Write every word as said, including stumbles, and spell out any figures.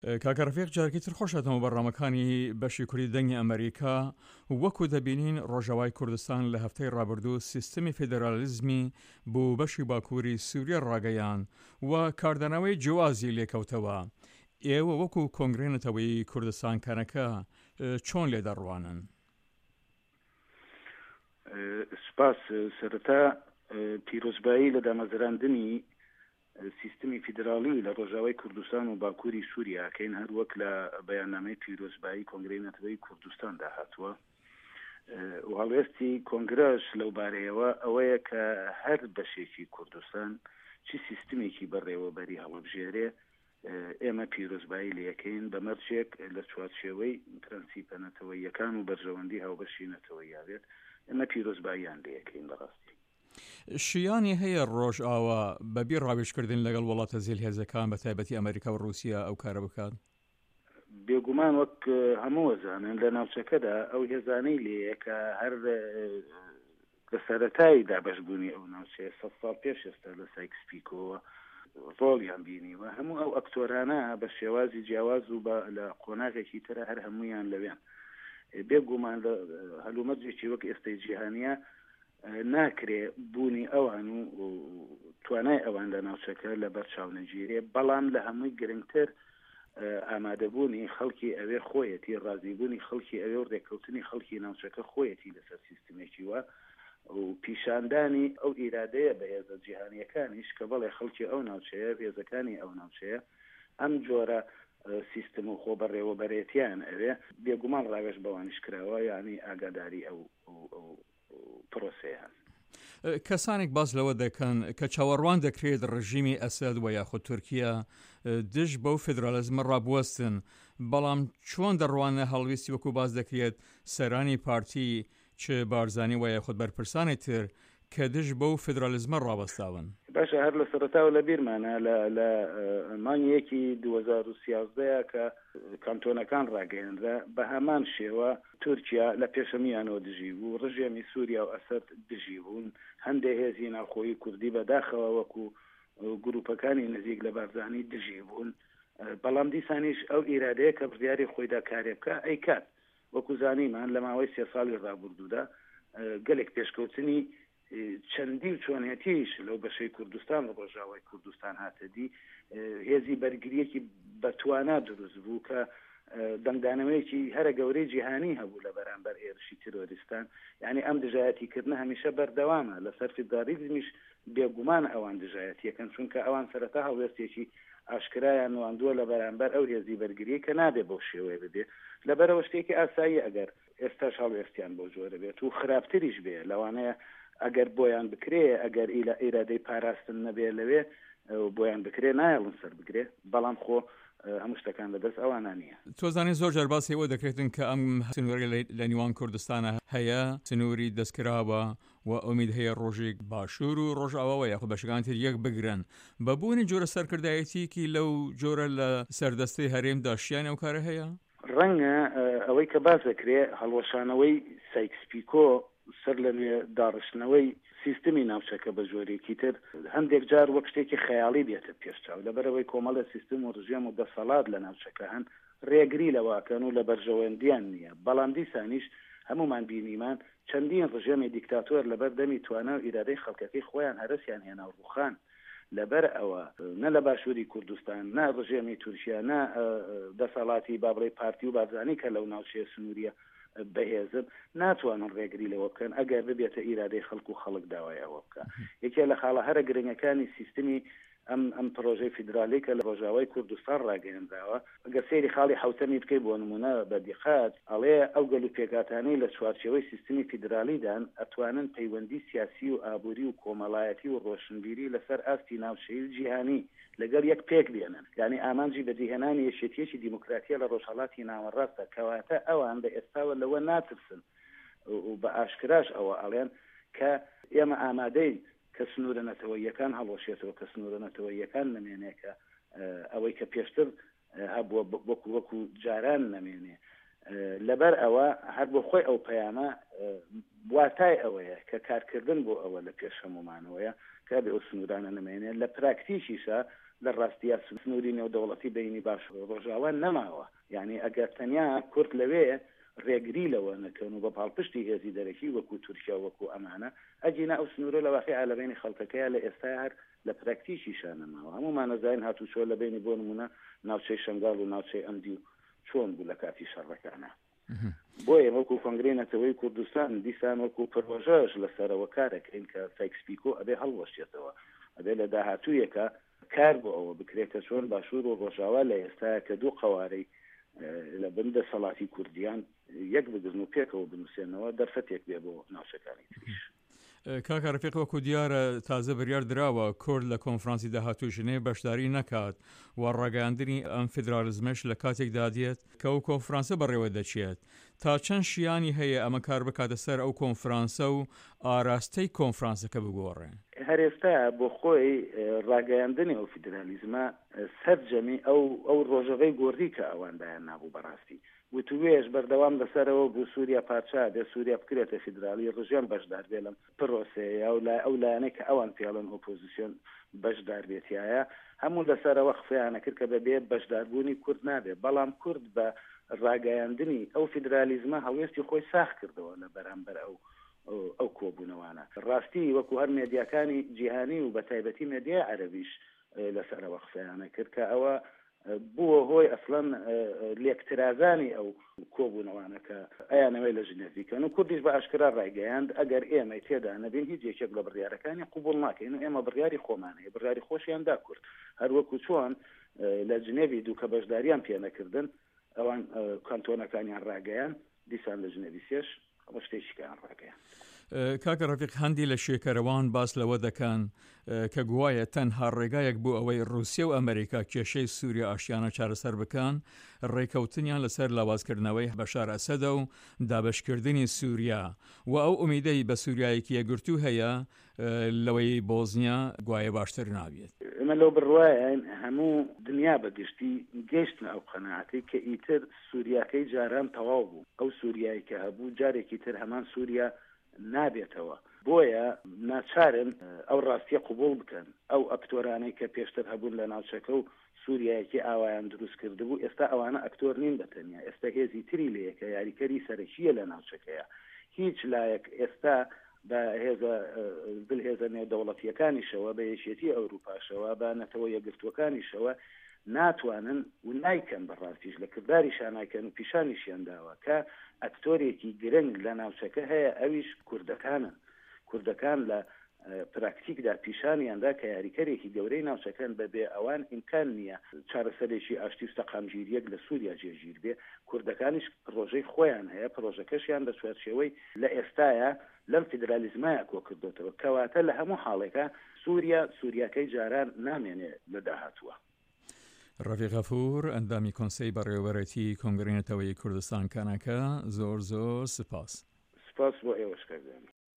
کاکە ڕەفیق جارێکی تر خۆش هاتنەوە بەرنامەکانی بەشی کوردی دەنگی ئەمریکا. وەکو دەبینین ڕۆژاوای کوردستان لە هەفتەی ڕابردوو سیستمی فیدرالیزمی بۆ بەشی باکووری سووریا ڕاگەیان و کاردانەوەی جیوازی لێکەوتەوە. ئێوە وەکو کۆنگرەی نەتەوەیی کوردستان کەنەکە چۆن لێ دەڕوانن؟ سپاس. سەرەتا پیرۆزبایی لە دامەزراندنی سیستمی فیدراڵی لە ڕۆژاوای کوردستان و باکووری سووریا ئەکەین، هەر وەک لە بەیاننامەی پیرۆزبایی کۆنگرەی نەتەوەیی کوردستاندا هاتووە. و هەڵوێستی کۆنگرەش لەو بارەیەوە ئەوەیە کە هەر بەشێکی کوردستان چی سیستمێکی بەڕێوەبەری هەڵبژێرێ ئێمە پیرۆزبایی لەکەین، بە مەرجێک لە چوارچێوەی پرەنسیپە نەتەوەییەکان و بەرژەوەندی هاوبەشی نەتەوەییا بێت، ئێمە پیرۆزباییان لەکەین. بەڕاستی شیانی هەیە ڕۆژئاوا بەبێ ڕاوێژکردن لەگەڵ وڵاتە زلهێزەکان بە تایبەتی ئەمریکا و ڕووسیا ئەو کارە بکات؟ بێگومان وەک هەموو زانن لە ناوچەکەدا ئەو هێزانەی لێیە کە هەر لە سەرەتای دابەشبوونی ئەو ناوچەیە سەد ساڵ پێش ئێستا لە سایکس پیکۆوە ڕۆڵیان بینیوە، هەموو ئەو ئەکتۆرانە بە شێوازی جیاواز و لە قۆناغێکی ترە هەر هەمویان لەوێن. بێگومان لە هەلومەرجێکی وەک ئێستای جیهانیە ناکرێ بوونی ئەوان و توانای ئەوان لە ناوچەکە لە بەرچاو نەگیرێ، بەڵام لە هەمووی گرنگتر ئامادەبوونی خەڵکی ئەوێ خۆیەتی، ڕازیبوونی خەڵکی ئەوێ و ڕێککەوتنی خەڵکی ناوچەکە خۆیەتی لەسەر سیستمێکی وا و پیشاندانی ئەو ئیرادەیە بە هێزە جیهانیەکانیش کە بەڵێ خەڵکی ئەو ناوچەیە، هێزەکانی ئەو ناوچەیە ئەم جۆرە سیستم و خۆ بەڕێوەبەرێتیان ئەوێ. بێگومان ڕاوێژ بەوانیش کراوە، یعنی ئاگاداری ئەو ئەو پرۆسەیان. کەسانێک باس لەوە دەکەن کە چاوەڕوان دەکرێت ڕژیمی ئەسەد و یاخود تورکیا دژ بەو فیدرالیزمە ڕابوەستن، بەڵام چۆن دەڕوانە هەڵویستی وەکو باس دەکرێت سەرانی پارتی چ بارزانی و یاخود بەرپرسانی تر کە دژ بەو فیدرالیزمە ڕاوەستاون؟ باشە، هەر لە سەرەتاوە لە بیرمانە لە مانگی یەکی دوو هەزار و سیازدە کە کانتۆنەکان ڕاگەیەنرا، بە هەمان شێوە تورکیا لە پێشەمیانەوە دژی بوو، ڕژێمی سووریا و ئەسەد دژی بوون، هەندێک هێزی ناوخۆیی کوردی بەداخەوە وەکو گروپەکانی نزیک لە بارزانی دژی بوون، بەڵام دیسانیش ئەو ئیرادەیە کە بڕیاری خۆیدا کارێ بکە ئەیکات. وەکو زانیمان لە ماوەی سێ ساڵی ڕابردوودا گەلێک پێشکەوتنی چەندی و چۆنێتیش لەو بەشەی کوردستان و ڕۆژاوای کوردستان هاتە دی، هێزی بەرگریەکی بەتوانا دروست بوو کە دەنگدانەوەیەکی هەرە گەورەی جیهانی هەبوو لە بەرامبەر هێرشی تیرۆریستان. یعنی ئەم دژایەتیکردنە هەمیشە بەردەوامە. لەسەر فیدرالیزمیش بێگومان ئەوان دژایەتیەکەن، چونکە ئەوان سەرەتا هەڵوێستێکی ئاشکرایان نواندووە لە بەرامبەر ئەو هێزی بەرگری کە نابێ بەو شێوەیە ببێ. لەبەرەوە شتێکی ئاسایی ئەگەر ئێستاش هەڵوێستیان بۆ جۆرە بێت و خراپتریش بێ، لەوانەیە ئەگەر بۆیان بکرێ، ئەگەر ئیرادەی پاراستن نەبێ لەوێ بۆیان بکرێ نایەڵن سەر بگرێ، بەڵام خۆ هەموو شتەکان لەدەست ئەوانە نییە. تۆزانانی زۆر جار باسی ئەوە دەکرێتن کە ئەم سنوورە لە نێوان کوردستانە هەیە، سنووری دەستکراوە و ئومید هەیە ڕۆژێک باشوور و ڕۆژئاواوە یاخود بەشەکان تر یەک بگرن. بە بوونی جۆرە سەرکردایەتیکی لەو جۆرە لە سەردەستەی هەرێمدا شیان ئەو کارە هەیە؟ ڕەنگە ئەوەی کە باس دەکرێ هەڵوەشانەوەی سایکس پیکۆ سەر لە نوێ داڕشتنەوەی سیستمی ناوچەکە بە جۆرێکی تر هەندێک جار وەک شتێکی خەیاڵی بێتە پێشچاو، لەبەرەوەی کۆمەڵە سیستم و ڕژێم و دەسەڵات لە ناوچەکە هەن ڕێگری لەواکەن و لە بەرژەوەندیان نییە. بەڵام دیسانیش هەمومان بینیمان چەندین ڕژێمی دیکتاتۆر لەبەر دەمی توانا و ئیرادەی خەڵکەکەی خۆیان هەرسیان هێنا و ڕوخان. لەبەر ئەوە نە لە باشووری کوردستان، نە ڕژێمی تورکیا، نە دەسەڵاتی با بڵێ پارتی و بارزانی کە لەو ناوچەیە سنووریە بەهێزن ناتوانن ڕێگری لەوە بکەن ئەگەر ببێتە ئیرادەی خەڵک و خەڵک داوای ئەوە بکە. یەکێ لە خاڵە هەرە گرنگەکانی سیستمی ئەم ئەم پرۆژەی فیدرالی کە لە ڕۆژاوای کوردستان ڕاگەیەنراوە، ئەگەر سەیری خاڵی حوتەمی بکەی بۆ نمونە بە دیقەت، ئەڵێ ئەو گەل و پێکهاتانەی لە چوارچێوەی سیستمی فیدرالیدان ئەتوانن پەیوەندی سیاسی و ئابووری و کۆمەڵایەتی و ڕۆشنبیری لەسەر ئاستی ناوچەیی و جیهانی لەگەڵ یەک پێک بێنن. یعنی ئامانجی بەدیهێنانی یەکێتیەکی دیموکراتیە لە ڕۆژهەڵاتی ناوەڕاستە، کەواتە ئەوان بە ئێستاوە لەوە ناترسن و بە ئاشکراش ئەوە ئەڵێن کە ئێمە ئامادەین کە سنوورە نەتەوەیەکان هەڵوەشێتەوە، کە سنوورە نەتەوەیەکان نەمێنێ، کە ئەوەی کە پێشتر هەبووە وەکو وەکو جاران نەمێنێ. لەبەر ئەوە هەر بۆ خۆی ئەو پەیامە واتای ئەوەیە کە کارکردن بۆ ئەوە لە پێش هەمومانەوەیە کە بێ ئەو سنوورانە نەمێنێ. لە پراکتیکیشە لە ڕاستیا سنووری نێودەوڵەتی بەینی باشوور و ڕۆژاوا نەماوە. یانی ئەگەر تەنیا کورد لەوێ ڕێگری لەوە نەکەن و بە پاڵپشتی هێزی دەرەکی وەکوو تورکیا و وەکوو ئەمانە، ئەگینا ئەو سنوورە لە واقیعا لە بەینی خەڵکەکەیا لە ئێستایا هەر لە پراکتیکیشا نەماوە. هەموومان ئەزانین هاتوچۆ لە بەینی بۆ نموونە ناوچەی شەنگاڵ و ناوچەی ئەمدیو چۆن بوو لە کاتی شەڕەکانا. بۆیە وەکوو کۆنگرەی نەتەوەیی کوردستان دیسان وەکوو پرۆژەش لە سەرەوە کار ئەکەین کە سایکس پیکۆ ئەبێ هەڵوەشێتەوە، ئەبێ لە داهاتوویەکا کار بۆ ئەوە بکرێت کە چۆن باشوور و ڕۆژاوا لە ئێستایا کە دوو قەوارەی لە بن دەسەڵاتی کوردیان یەک بگرن و پێکەوە بنووسێنەوە دەرفەتێک بێ بۆ ناوچەکانی تریش. کاکە ڕەفیق وەکو دیارە تازە بریار دراوە کورد لە کۆنفرانسی داهاتووی ژنێڤ بەشداری نەکات و ڕاگەیاندنی ئەم فیدرالیزمەش لە کاتێکدا دێت کە ئەو کۆنفرانسە بەڕێوە دەچێت. تا چەند شیانی هەیە ئەمە کار بکاتە سەر ئەو کۆنفرانسە و ئاراستەی کۆنفرانسەکە بگۆڕێ؟ هەر ئێستا بۆ خۆی ڕاگەیاندنی ئەو فیدرالیزمە سەرجەمی ئەو ئەو ڕۆژەڤەی گۆڕی کە ئەوان دایان نابوو بەڕاستی وتووێژ بەردەوام لەسەرەوە بوو سووریا پارچە بێ سووریا بکرێتە فیدراڵی ڕژێم بەشدار بێ لەم پرۆسەیە و لای ئەو لایەنەی کە ئەوان پێڵێن ئۆپۆزیسیۆن بەشدار بێ تیایا هەموو لەسەرەوە قسەیان ئەکرد کە بەبێ بەشداربوونی کورد نابێ بەڵام کورد بە ڕاگەیاندنی ئەو فیدرالیزمە هەڵوێستی خۆی ساغ کردەوە لە بەرامبەر ئەو ئەو کۆبوونەوانە. ڕاستی وەکو هەر مێدیاکانی جیهانی و بەتایبەتی مێدیای عەرەبیش لەسەرەوە قسەیانە کرد کە ئەوە بووە هۆی ئەسڵەن لێکترازانی ئەو کۆبوونەوانە کە ئەیانەوێ لە ژنێڤ بیکەن و کوردیش بە ئاشکرا ڕایگەیاند ئەگەر ئێمەی تێدا نەبین هیچ یەکێک لە بڕیارەکانی قبوڵ ناکەین و ئێمە بڕیاری خۆمان هەیە بڕیاری خۆشیان دا کورد هەر وەکو چۆن لە جنێڤی دوو کە بەشداریان پێنەکردن ئەوان کانتۆنەکانیان ڕاگەیاند دیسان لە ژنێڤی سێش ئەوە شتێکی کەیان ڕاگەیاند. کاکە ڕەفیق هەندی لە شێکەرەوان باس لەوە دەکەن کە گوایە تەنها ڕێگایەک بۆ ئەوەی ڕووسیە و ئەمریکا کێشەی سووریا ئاشتیانە چارەسەر بکەن ڕێکەوتنیان لەسەر لاوازکردنەوەی بەشار ئەسەدە و دابەشکردنی سووریا و ئەو ئومیدەی بە سووریایەکی یەکگرتوو هەیە لەوەی بۆزنیا گوایە باشتر نابێت. ئێمە لەو بڕوایەین هەموو دنیا بە گشتی گەیشتنە ئەو قەناعەتەی کە ئیتر سووریاکەی جاران تەواو بوو، ئەو سووریای کە هەبوو جارێکی تر هەمان سووریا نابێتەوە، بۆیە ناچارن ئەو ڕاستیە قبوڵ بکەن، ئەو ئەکتۆرانەی کە پێشتر هەبوون لە ناوچەکە و سووریایەکی ئاوایان دروست کردبوو، ئێستا ئەوانە ئەکتۆر نین بە تەنیا، ئێستا هێزی تری لێیە کە یاریکەری سەرەکییە لە ناوچەکەیە، هیچ لایەک ئێستا بە هێزە زلهێزە نێودەوڵەتییەکانیشەوە، بە یەکێتیی ئەوروپاشەوە، بە نەتەوە یەکگرتووەکانیشەوە ناتوانن و نایکەن، بە ڕاستیش لە کرداریشا نایکەن و پیشانیشیان داوە کە ئەکتۆرێکی گرنگ لە ناوچەکە هەیە ئەویش کوردەکانن. کوردەکان لە پراکتیکدا پیشانیان دا کە یاریکەرێکی گەورەی ناوچەکەن، بە بێ ئەوان ئیمکان نییە چارەسەرێکی ئاشتی و سەقامگیرییەک لە سووریا جێگیر بێ. کوردەکانیش پڕۆژەی خۆیان هەیە، پڕۆژەکەشیان لە چوارچێوەی لە ئێستایا لەم فیدرالیزمایە کۆکردۆتەوە. کەواتە لە هەموو حاڵێکا سووریا سووریاکەی جاران نامێنێ لە داهاتووا. ڕەفیق غەفور، ئەندامی کۆنسەی بەڕێوەبەرێتی کۆنگرەی نەتەوەیی کوردستان کەنەکە، زۆر زۆر سپاس. سپاس بۆ ئێوەش کاک دانی.